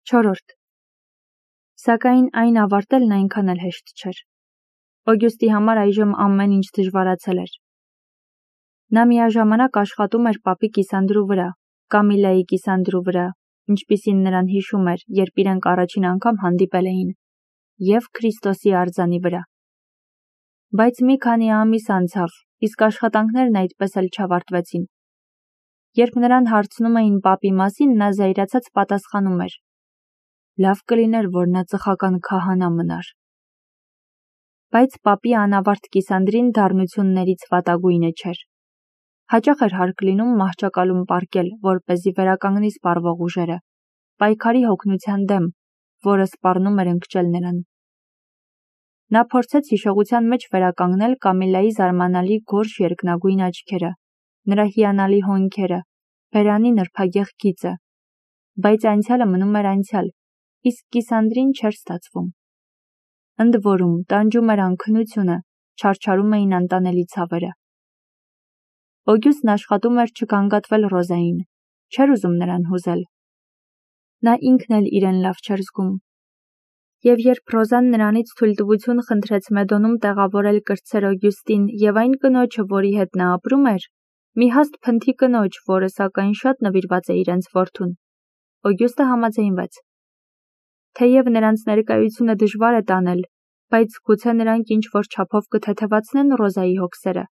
4. Սակայն այն ավարտելն այնքան էլ հեշտ չէր։ Օգյուստի համար այժմ ամեն ինչ դժվարացել էր։ Նա միաժամանակ աշխատում էր պապի կիսանդրու վրա, Կամիլայի կիսանդրու վրա, ինչպիսին նրան հիշում էր, երբ իրենք առաջին անգամ հանդիպել էին, և Քրիստոսի արձանի վրա։ Բայց մի քանի ամիս անցավ, իսկ աշխատանքներն այդպես էլ չավարտվեցին։ Երբ նրան հարցնում էին պապի մասին, նա զայրացած պատասխանում էր. «Լավ կլիներ, որ նա ծխական քահանա մնար»։ Բայց պապի անավարտ կիսանդրին դառնություններից վատագույնը չէր։ Հաճախ էր հարկ լինում մահճակալում պառկել, որպեսզի վերականգնի սպառվող ուժերը, պայքարի հոգնության դեմ, որը սպառնում էր ընկճել նրան։ Նա փորձեց հիշողության մեջ վերականգնել Կամիլայի զարմանալի գորշ երկնագույն աչքերը, նրա հիանալի հոնքերը, բերանի նրբագեղ գիծը, բայց անցյալը մնում էր անցյալ, իսկ կիսանդրին չէր ստացվում։ Ընդ որում, տանջում էր անքնությունը, չարչարում էին անտանելի ցավերը։ Օգյուստն աշխատում էր չգանգատվել Ռոզային, չէր ուզում նրան հուզել։ Նա ինքն էլ իրեն լավ չէր զգում։ Եվ երբ Ռոզան նրանից թույլտվություն խնդրեց Մեդոնում տեղավորել կրտսեր Օգյուստին և այն կնոջը, որի հետ նա ապրում էր, մի հաստ փնթի կնոջ, որը սակայն շատ նվիրված է իրենց որդուն, Օգյուստը համաձայնվեց։ Թեև նրանց ներկայությունը դժվար է տանել, բայց գուցե նրանք ինչ-որ չափով կթեթևացնեն Ռոզայի հոգսերը։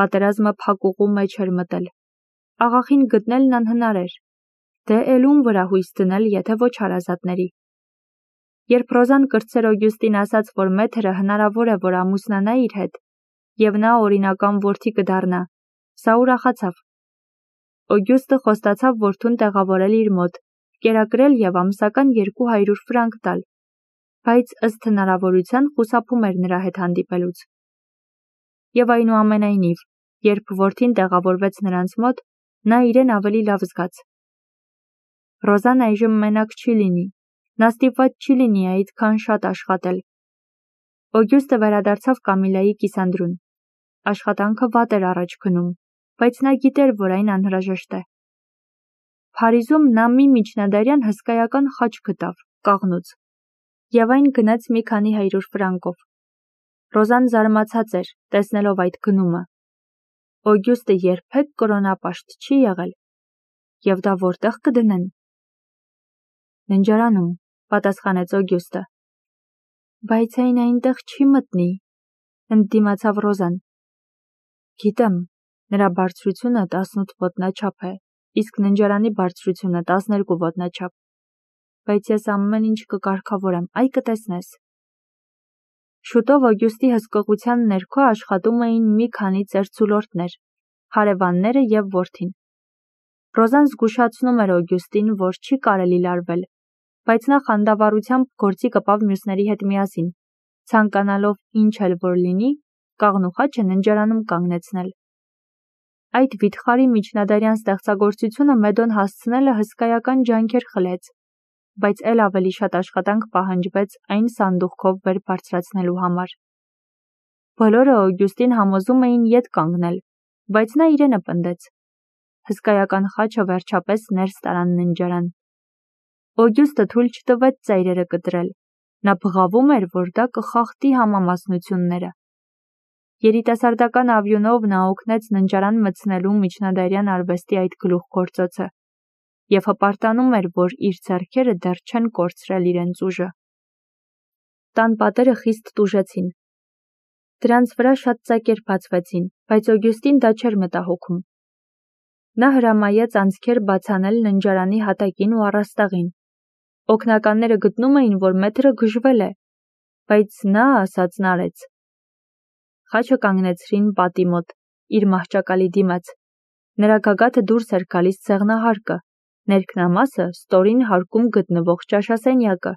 Պատերազմը փակուղու մեջ էր մտել։ Աղախին գտնելն անհնար էր։ Դե էլ ում վրա հույս դնել, եթե ոչ հարազատների։ Երբ Ռոզան կրտսեր Օգյուստին ասաց, որ մեթրը հնարավոր է, որ ամուսնանա իր հետ, և նա օրինական որդի կդառնա, սա ուրախացավ։ Օգյուստը խոստացավ որդուն տեղավորել իր մոտ, կերակրել և ամսական 200 ֆրանկ տալ, բայց ըստ հնարավորության խուսափում էր նրա հետ հանդիպելուց։ Եվ այնուամենայնիվ, երբ որդին տեղավորվեց նրանց մոտ, նա իրեն ավելի լավ զգաց։ Ռոզան այժմ մենակ չի լինի, նա ստիպված չի լինի այդքան շատ աշխատել։ Օգյուստը վերադարձավ Կամիլայի կիսանդրուն։ Աշխատանքը վատ էր առաջ գնում, բայց նա գիտեր, որ այն անհրաժեշտ է։ Փարիզում նա մի միջնադարյան հսկայական խաչ գտավ, կաղնուց, և այն գնեց մի քանի 100 ֆրանկով։ Ռոզան զարմացած էր, տեսնելով այդ գնումը։ Օգյուստը երբեք կրոնապաշտ չի եղել։ Եվ դա որտեղ կդնեն։ Ննջարանում, պատասխանեց Օգյուստը։ Բայց այն այնտեղ չի մտնի, ընդդիմացավ Ռոզան։ Գիտեմ, նրա բարձրությունը 18 ոտնաչափ է, իսկ ննջարանի բարձրությունը 12 ոտնաչափ, բայց ես ամեն ինչ կկարգավորեմ, այ կտեսնես։ Շուտով Օգյուստի հսկողության ներքո աշխատում էին մի քանի ծերծուլորդներ, հարևանները և որդին։ Ռոզան զգուշացնում էր Օգյուստին, որ չի կարելի լարվել, բայց նա խանդավառությամբ գործի կպավ մյուսների հետ միասին, ցանկանալով ինչ էլ որ լինի, կաղնու խաչը ննջարանում կանգնեցնել։ Այդ վիթխարի միջնադարյան ստեղծագործությունը Մեդոն հասցնելը հսկայական ջանքեր խլեց, բայց էլ ավելի շատ աշխատանք պահանջվեց այն սանդուղքով վեր բարձրացնելու համար։ Բոլորը Օգյուստին համոզում էին ետ կանգնել, բայց նա իրենը պնդեց։ Հսկայական խաչը վերջապես ներս տարան ննջարան։ Օգյուստը թույլ չտվեց ծայրերը կտրել։ Նա բղավում էր, որ դա կխախտի համամասնությունները։ Երիտասարդական ավյունով նա օգնեց ննջարան մտցնելու միջնադարյան արվեստի այդ գլուխգործոցը և հպարտանում էր, որ իր ձեռքերը դեռ չեն կորցրել իրենց ուժը։ Տան պատերը խիստ տուժեցին։ Դրանց վրա շատ ծակեր բացվեցին, բայց Օգյուստին դա չէր մտահոգում։ Նա հրամայեց անցքեր բացանել ննջարանի հատակին ու առաստաղին։ Օգնականները գտնում էին, որ մեթրը գժվել է, բայց նա ասածն արեց։ Խաչը կանգնեցրին պատի մոտ, իր մահճակալի դիմաց։ Նրա գագաթը դուրս էր գալիս ցեղնահարկը, ներքնամասը ստորին հարկում գտնվող ճաշասենյակը,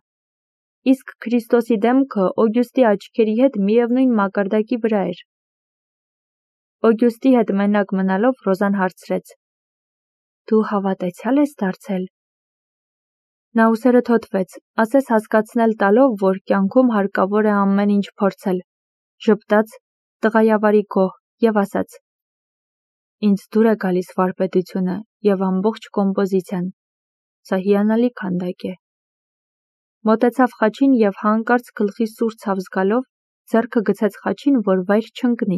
իսկ Քրիստոսի դեմքը Օգյուստի աչքերի հետ միևնույն մակարդակի վրա էր։ Օգյուստի հետ մենակ մնալով Ռոզան հարցրեց. Դու հավատացյալ ես դարձել։ Նա ուսերը թոթվեց, ասես հասկացնել տալով, որ կյանքում հարկավոր է ամեն ինչ փորձել, ժպտաց, տղայավարի գոհ և ասաց. Ինձ դուր է գալիս վարպետությունը և ամբողջ կոմպոզիցիան։ Սա հիանալի քանդակ է։ Մոտեցավ խաչին և հանկարծ գլխի սուր ցավ զգալով ձեռքը գցեց խաչին, որ վայր չընկնի։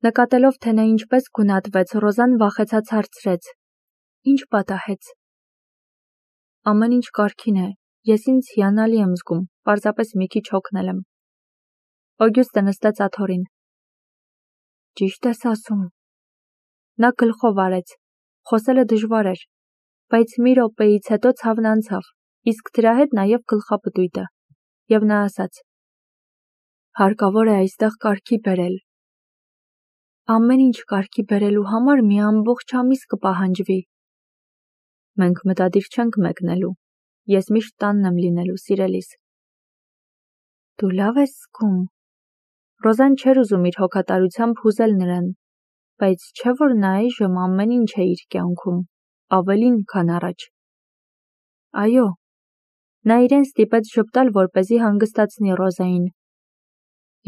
Նկատելով, թե նա ինչպես գունատվեց, Ռոզան վախեցած հարցրեց. Ինչ պատահեց։ Ամեն ինչ կարգին է, ես ինձ հիանալի եմ զգում, պարզապես մի քիչ հոգնել եմ։ Օգյուստը նստեց աթոռին։ Ճիշտ ես ասում։ Նա գլխով արեց, խոսելը դժվար էր, բայց մի րոպեից հետո ցավն անցավ, իսկ դրա հետ նաև գլխապտույտը, և նա ասաց. Հարկավոր է այստեղ կարգի բերել։ Ամեն ինչ կարգի բերելու համար մի ամբողջ ամիս կպահանջվի։ Մենք մտադիր չենք մեկնելու, ես միշտ տանն եմ լինելու, սիրելիս։ Դու լավ ես զգում։ Ռոզան չէր ուզում իր հոգատարությամբ հուզել նրան, բայց չէ՞ որ նա այժմ ամեն ինչ է իր կյանքում, ավելին, քան առաջ։ Այո, նա իրեն ստիպեց ժպտալ, որպեսզի հանգստացնի Ռոզային։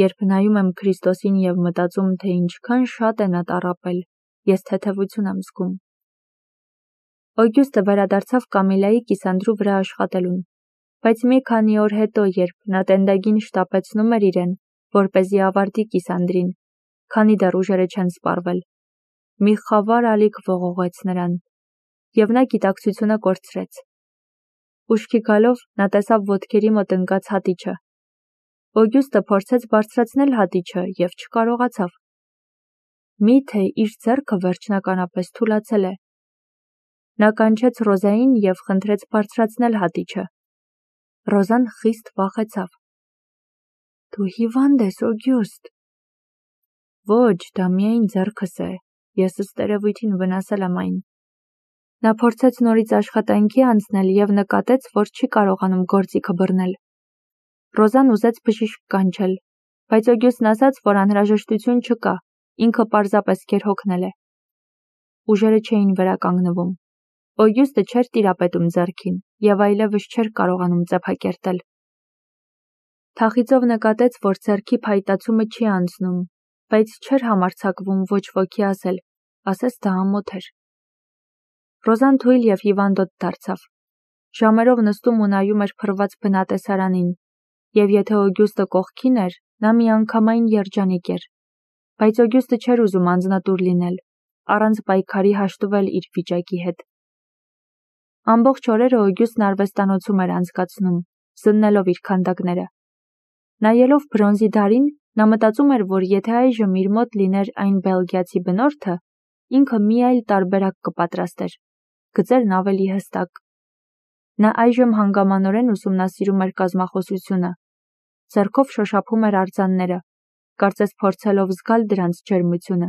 Երբ նայում եմ Քրիստոսին և մտածում, թե ինչքան շատ է նա տառապել, ես թեթևություն եմ զգում։ Օգյուստը վերադարձավ Կամիլայի կիսանդրու վրա աշխատելուն, բայց մի քանի օր հետո, երբ նա տենդագին շտապեցնում էր իրեն, որպեսզի ավարտի կիսանդրին, քանի դեռ ուժերը չեն սպառվել, մի խավար ալիք ողողեց նրան, և նա գիտակցությունը կորցրեց։ Ուշքի գալով նա տեսավ ոտքերի մոտ ընկած հատիչը։ Օգյուստը փորձեց բարձրացնել հատիչը և չկարողացավ։ Միթե իր ձեռքը վերջնականապես թուլացել է։ Նա կանչեց Ռոզային և խնդրեց բարձրացնել հատիչը։ Ռոզան խիստ վախեցավ։ Դու հիվանդ ես, Օգյուստ։ Ոչ, դա միայն ձեռքս է, ես ըստ երևույթին վնասել եմ այն։ Նա փորձեց նորից աշխատանքի անցնել և նկատեց, որ չի կարողանում գործիքը բռնել։ Ռոզան ուզեց բժիշկ կանչել, բայց Օգյուստն ասաց, որ անհրաժեշտություն չկա, ինքը պարզապես գերհոգնել է։ Ուժերը չէին վերականգնվում։ Օգյուստը չէր տիրապետում ձեռքին և այլևս չէր կարողանում ծեփակերտել։ Թախիծով նկատեց, որ ձեռքի փայտացումը չի անցնում, բայց չէր համարձակվում ոչ ոքի ասել, ասես դա ամոթ էր։ Ռոզան թույլ և հիվանդոտ դարձավ։ Ժամերով նստում ու նայում էր փռված բնատեսարանին, և եթե Օգյուստը կողքին էր, նա միանգամայն երջանիկ էր, բայց Օգյուստը չէր ուզում անձնատուր լինել, առանց պայքարի հաշտվել իր վիճակի հետ։ Ամբողջ օրերը Օգյուստն արվեստանոցում էր անցկացնում, զննելով իր քանդակները։ Նայելով բրոնզի դարին, նա մտածում էր, որ եթե այժմ իր մոտ լիներ այն բելգիացի բնորդը, ինքը մի այլ տարբերակ կպատրաստեր, գծերն ավելի հստակ։ Նա այժմ հանգամանորեն ուսումնասիրում էր կազմախոսությունը, ձեռքով շոշափում էր արձանները, կարծես փորձելով զգալ դրանց ջերմությունը,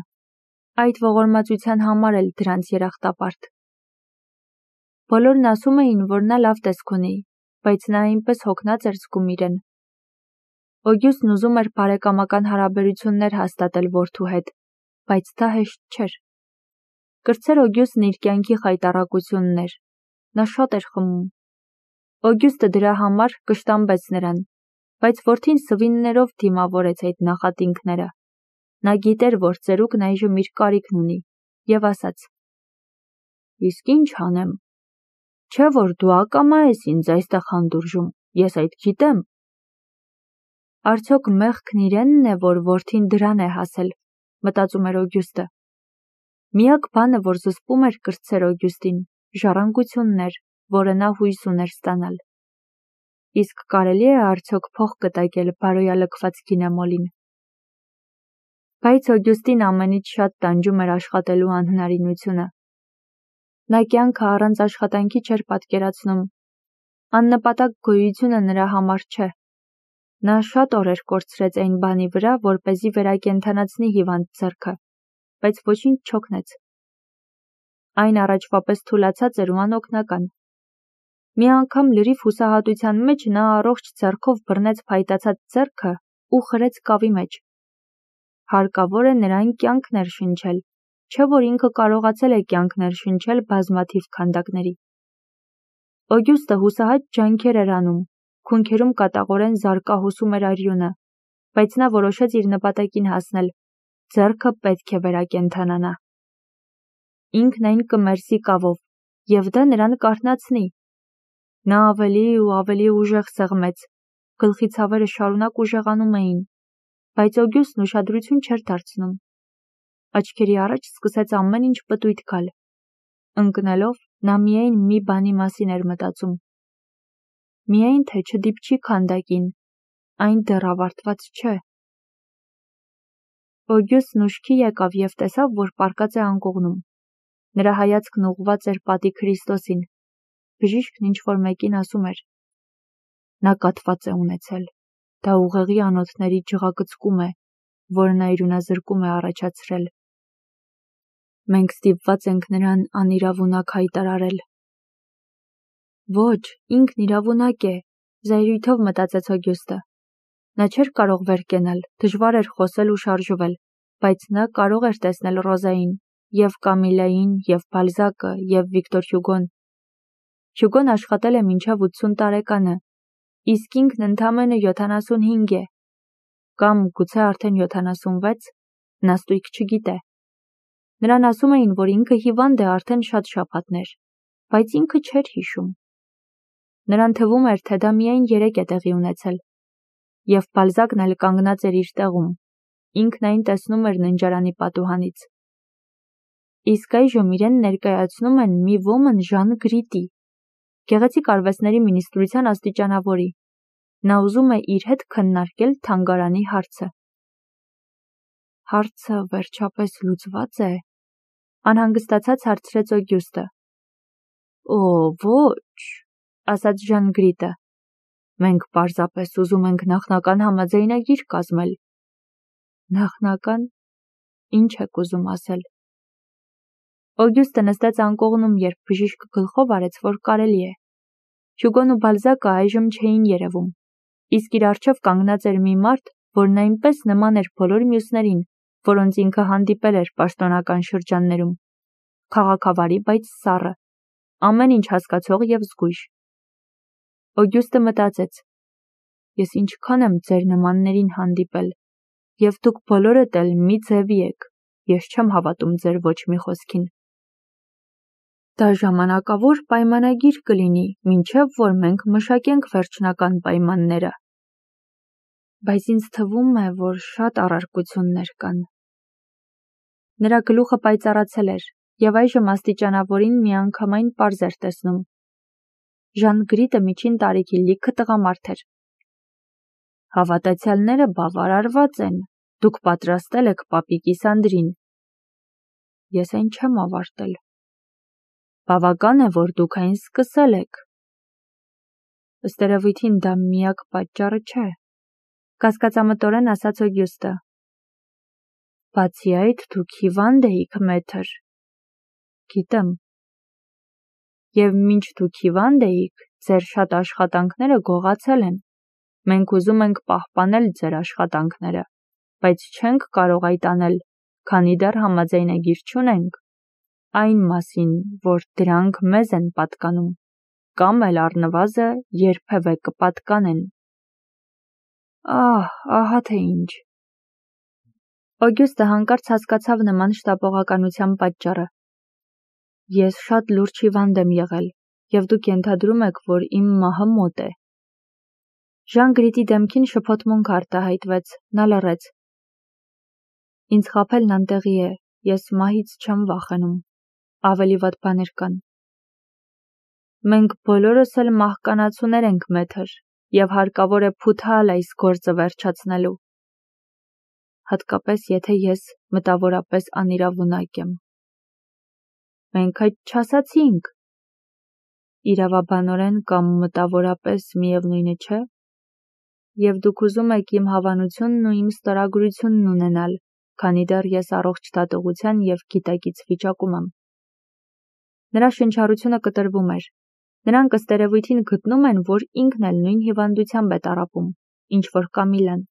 այդ ողորմածության համար էլ դրանց երախտապարտ։ Բոլորն ասում էին, որ նա լավ տեսք ունի, բայց նա այնպես հոգնած էր զգում իրեն։ Օգյուստն ուզում էր բարեկամական հարաբերություններ հաստատել որդու հետ, բայց դա հեշտ չէր։ Կրտսեր Օգյուստն իր կյանքի խայտառակությունն էր։ Նա շատ էր խմում։ Օգյուստը դրա համար կշտամբեց նրան, բայց որդին սվիններով դիմավորեց այդ նախատինքները։ Նա գիտեր, որ ծերուկն այժմ իր կարիքն ունի, և ասաց. Իսկ ինչ անեմ։ Չէ՞ որ դու ակամա ես ինձ այստեղ հանդուրժում, ես այդ գիտեմ։ Արդյոք մեղքն իրենն է, որ որդին դրան է հասել, մտածում էր Օգյուստը։ Միակ բանը, որ զսպում էր կրտսեր Օգյուստին, ժառանգությունն էր, որը նա հույս ուներ ստանալ։ Իսկ կարելի է արդյոք փող կտակել բարոյալքված գինեմոլին։ Բայց Օգյուստին ամենից շատ տանջում էր աշխատելու անհնարինությունը։ Նա կյանքը առանց աշխատանքի չէր պատկերացնում։ Աննպատակ գոյությունը նրա համար չէ։ Նա շատ օրեր կորցրեց այն բանի վրա, որպեսզի վերակենդանացնի հիվանդ ձեռքը, բայց ոչինչ չօգնեց։ Այն առաջվա պես թուլացած էր ու անօգնական։ Մի անգամ լրիվ հուսահատության մեջ նա առողջ ձեռքով բռնեց փայտացած ձեռքը ու խրեց կավի մեջ։ Հարկավոր է նրան կյանք ներշնչել, չէ՞ որ ինքը կարողացել է կյանք ներշնչել բազմաթիվ քանդակների։ Օգյուստը հուսահատ ջանքեր էր անում, քունքերում կատաղորեն զարկահոսում էր արյունը, բայց նա որոշեց իր նպատակին հասնել, ձեռքը պետք է վերակենդանանա։ Ինքն այն կմերսի կավով, և դա նրան կարթնացնի։ Նա ավելի ու ավելի ուժեղ սեղմեց, գլխի ցավերը շարունակ ուժեղանում էին, բայց Օգյուստն ուշադրություն չէր դարձնում։ Աչքերի առաջ սկսեց ամեն ինչ պտույտ գալ։ Ընկնելով, նա միայն մի բանի մասին էր մտածում։ Միայն թե չդիպչի քանդակին, այն դեռ ավարտված չէ։ Օգյուստն ուշքի եկավ և տեսավ, որ պառկած է անկողնում։ Նրա հայացքն ուղղված էր պատի Քրիստոսին։ Բժիշկն ինչ-որ մեկին ասում էր. Նա կաթված է ունեցել։ Դա ուղեղի անոթների ջղակցկում է, որը նա իրունազրկում է առաջացրել։ Մենք ստիպված ենք նրան անիրավունակ հայտարարել։ Ոչ, ինքն իրավունակ է, զայրույթով մտածեց Օգյուստը։ Նա չէր կարող վեր կենալ, դժվար էր խոսել ու շարժվել, բայց նա կարող էր տեսնել Ռոզային, և Կամիլային, և Բալզակը, և Վիկտոր Հյուգոն։ Հյուգոն աշխատել է մինչև 80 տարեկանը, իսկ ինքն ընդամենը 75 է, կամ գուցե արդեն 76, նա ստույգ չգիտե։ Նրան ասում էին, որ ինքը հիվանդ է արդեն շատ շաբաթներ, բայց ինքը չէր հիշում։ Նրան թվում էր, թե դա միայն 3 է տեղի ունեցել, և Բալզակն էլ կանգնած էր իր տեղում, ինքն այն տեսնում էր ննջարանի պատուհանից։ Իսկ այժմ իրեն ներկայացնում են մի ոմն Ժան Գրիտի, գեղեցիկ արվեստների մինիստրության աստիճանավորի։ Նա ուզում է իր հետ քննարկել թանգարանի հարցը։ Հարցը վերջապես լուծված է, անհանգստացած հարցրեց Օգյուստը։ Օ, ոչ, ասաց Ժան Գրիտը։ Մենք պարզապես ուզում ենք նախնական համաձայնագիր կազմել։ Նախնական, ինչ եք ուզում ասել։ Օգյուստը նստեց անկողնում, երբ բժիշկը գլխով արեց, որ կարելի է։ Հյուգոն ու Բալզակը այժմ չէին երևում, իսկ իր առջև կանգնած էր մի մարդ, որն այնպես նման էր բոլոր մյուսներին, որոնց ինքը հանդիպել էր պաշտոնական շրջաններում։ Քաղաքավարի, բայց սառը, ամեն ինչ հասկացող և զգույշ։ Օգյուստը մտածեց. Ես ինչքան եմ ձեր նմաններին հանդիպել, և դուք բոլորդ էլ մի ձևի եք, ես չեմ հավատում ձեր ոչ մի խոսքին։ Դա ժամանակավոր պայմանագիր կլինի, մինչև որ մենք մշակենք վերջնական պայմանները։ Բայց ինձ թվում է, որ շատ առարկություններ կան։ Նրա գլուխը պայծառացել էր, և այժմ աստիճանավորին միանգամայն պարզ էր տեսնում։ Ժան Գրիտը միջին տարիքի լիքը տղամարդ էր։ Հավատացյալները բավարարված են, դուք պատրաստել եք պապի կիսանդրին։ Ես այն չեմ ավարտել։ Բավական է, որ դուք այն սկսել եք։ Ըստ երևույթին դա միակ պատճառը չէ, կասկածամտորեն ասաց Օգյուստը։ Բացի այդ, դուք հիվանդ էիք, մեթր։ Գիտեմ։ Եվ մինչ դուք հիվանդ էիք, ձեր շատ աշխատանքները գողացել են։ Մենք ուզում ենք պահպանել ձեր աշխատանքները, բայց չենք կարող այդ անել, քանի դեռ համաձայնագիր չունենք այն մասին, որ դրանք մեզ են պատկանում, կամ էլ առնվազն երբևէ կպատկանեն։ Ահա թե ինչ։ Օգյուստը հանկարծ հասկացավ նման շտապողականության պատճառը։ Ես շատ լուրջ հիվանդ եմ եղել, և դուք ենթադրում եք, որ իմ մահը մոտ է։ Ժան Գրիտի դեմքին շփոթմունք արտահայտվեց, նա լռեց։ Ինձ խաբելն անտեղի է, ես մահից չեմ վախենում, ավելի վատ բաներ կան։ Մենք բոլորս էլ մահկանացուներ ենք, մեթր, և հարկավոր է փութալ այս գործը վերջացնելու։ Հատկապես, եթե ես մտավորապես անիրավունակ եմ։ Մենք այդ չասացինք։ Իրավաբանորեն կամ մտավորապես միևնույնը չէ։ Եվ դուք ուզում եք իմ հավանությունն ու իմ ստորագրությունն ունենալ, քանի դեռ ես առողջ դատողության և գիտակից վիճակում եմ։ Նրա շնչառությունը կտրվում էր։ Նրանք ըստ երևույթին գտնում են, որ ինքն էլ նույն հիվանդությամբ է տառապում, ինչ որ Կամիլան։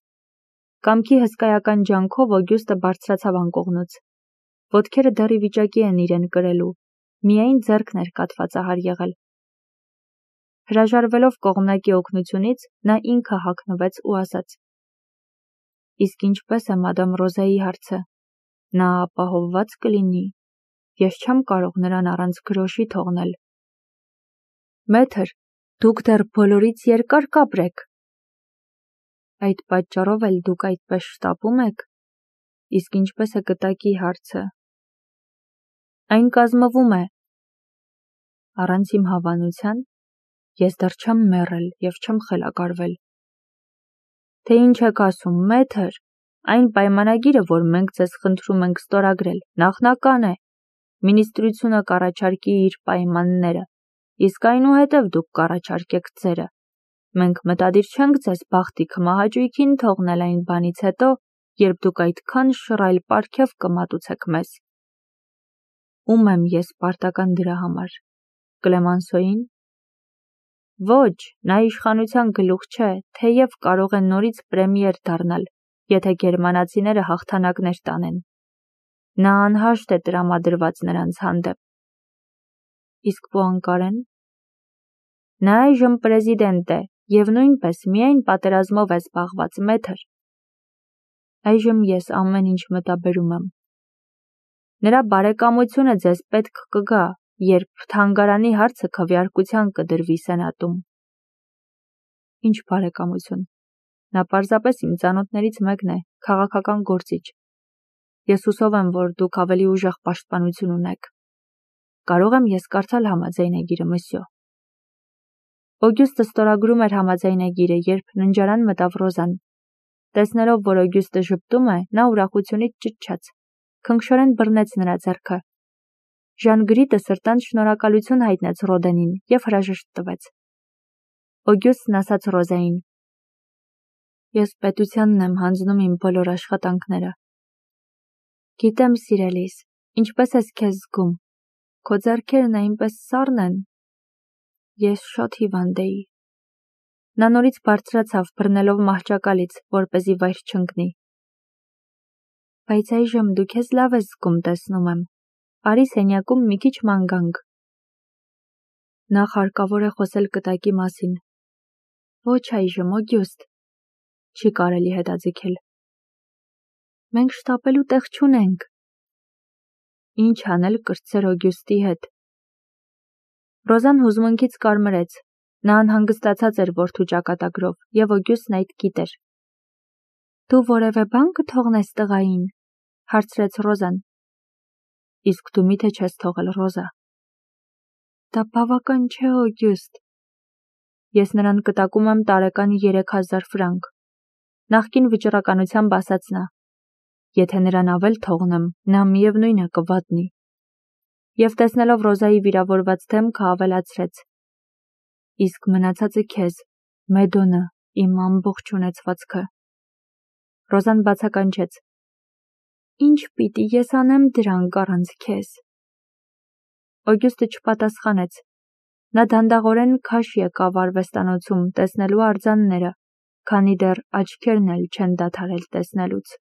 Կամքի հսկայական ջանքով Օգյուստը բարձրացավ անկողնուց։ Ոտքերը դեռ ի վիճակի են իրեն կրելու, միայն ձեռքն էր կաթվածահար եղել։ Հրաժարվելով կողմնակի օգնությունից, նա ինքը հագնվեց ու ասաց. Իսկ ինչպես է մադամ Ռոզայի հարցը, նա ապահովված կլինի, ես չեմ կարող նրան առանց գրոշի թողնել։ Մեթր, Դուք դեռ բոլորից երկար կապրեք։ Այդ պատճառով էլ դուք այդպես շտապում եք, իսկ ինչպես է կտակի հարցը։ Այն կազմվում է։ Առանց իմ հավանության ես դեռ չեմ մեռել և չեմ խելագարվել։ Թե ինչ եք ասում, մեթր, այն պայմանագիրը, որ մենք ձեզ խնդրում ենք ստորագրել, նախնական է, Մինիստրությունը կառաջարկի իր պայմանները, իսկ այնուհետև դուք կառաջարկեք ձերը։ Մենք մտադիր չենք ձեզ բախտի քմահաճույքին թողնել այն բանից հետո, երբ դուք այդքան շռայլ պարգև կմատուցեք մեզ։ Ում եմ ես պարտական դրա համար։ Կլեմանսոյին։ Ոչ, նա իշխանության գլուխ չէ, թեև կարող է նորից պրեմիեր դառնալ, եթե գերմանացիները հաղթանակներ տանեն։ Նա անհաշտ է տրամադրված նրանց հանդեպ։ Իսկ Պուանկարեն։ Նա այժմ պրեզիդենտ է և նույնպես միայն պատերազմով է զբաղված, մեթր։ Այժմ ես ամեն ինչ մտաբերում եմ։ Նրա բարեկամությունը ձեզ պետք կգա, երբ թանգարանի հարցը քվեարկության կդրվի սենատում։ Ինչ բարեկամություն։ Նա պարզապես իմ ծանոթներից մեկն է, քաղաքական գործիչ։ Ես հուսով եմ, որ դուք ավելի ուժեղ պաշտպանություն ունեք։ Կարող եմ ես կարդալ համաձայնագիրը, մսյո։ Օգյուստը ստորագրում էր համաձայնագիրը, երբ ննջարան մտավ Ռոզան։ Տեսնելով, որ Օգյուստը ժպտում է, նա ուրախությունից ճչաց, քնքշորեն բռնեց նրա ձեռքը։ Ժան Գրիտը սրտանց շնորհակալություն հայտնեց Ռոդենին և հրաժեշտ տվեց։ Օգյուստն ասաց Ռոզային. Ես պետությանն եմ հանձնում իմ բոլոր աշխատանքները։ Գիտեմ, սիրելիս, ինչպես ես քեզ զգում։ Քո ձեռքերն այնպես սառն են։ Ես շատ հիվանդ էի։ Նա նորից բարձրացավ, բռնելով մահճակալից, որպեսզի վայր չընկնի։ Բայց այժմ դու քեզ լավ ես զգում, տեսնում եմ։ Արի սենյակում մի քիչ ման գանք։ Նախ հարկավոր է խոսել կտակի մասին։ Ոչ այժմ, Օգյուստ։ Չի կարելի հետաձգել։ Մենք շտապելու տեղ չունենք։ Ինչ անել կրտսեր Օգյուստի հետ։ Ռոզան հուզմունքից կարմրեց։ Նա անհանգստացած էր որդու ճակատագրով, և Օգյուստն այդ գիտեր։ Դու որևէ բան կթողնես տղային, հարցրեց Ռոզան։ Իսկ դու միթե չես թողել, Ռոզա։ Դա բավական չէ, Օգյուստ։ Ես նրան կտակում եմ տարեկան 3000 ֆրանկ։ Նախկին վճռականությամբ ասաց նա։ Եթե նրան ավել թողնեմ, նա միևնույն է կվատնի։ Եվ տեսնելով Ռոզայի վիրավորված դեմքը ավելացրեց. Իսկ մնացածը քեզ, Մեդոնը, իմ ամբողջ ունեցվածքը։ Ռոզան բացականչեց. Ինչ պիտի ես անեմ դրանք առանց քեզ։ Օգյուստը չպատասխանեց։ Նա դանդաղորեն քաշ եկավ արվեստանոցում տեսնելու արձանները, քանի դեռ աչքերն էլ չեն դադարել տեսնելուց։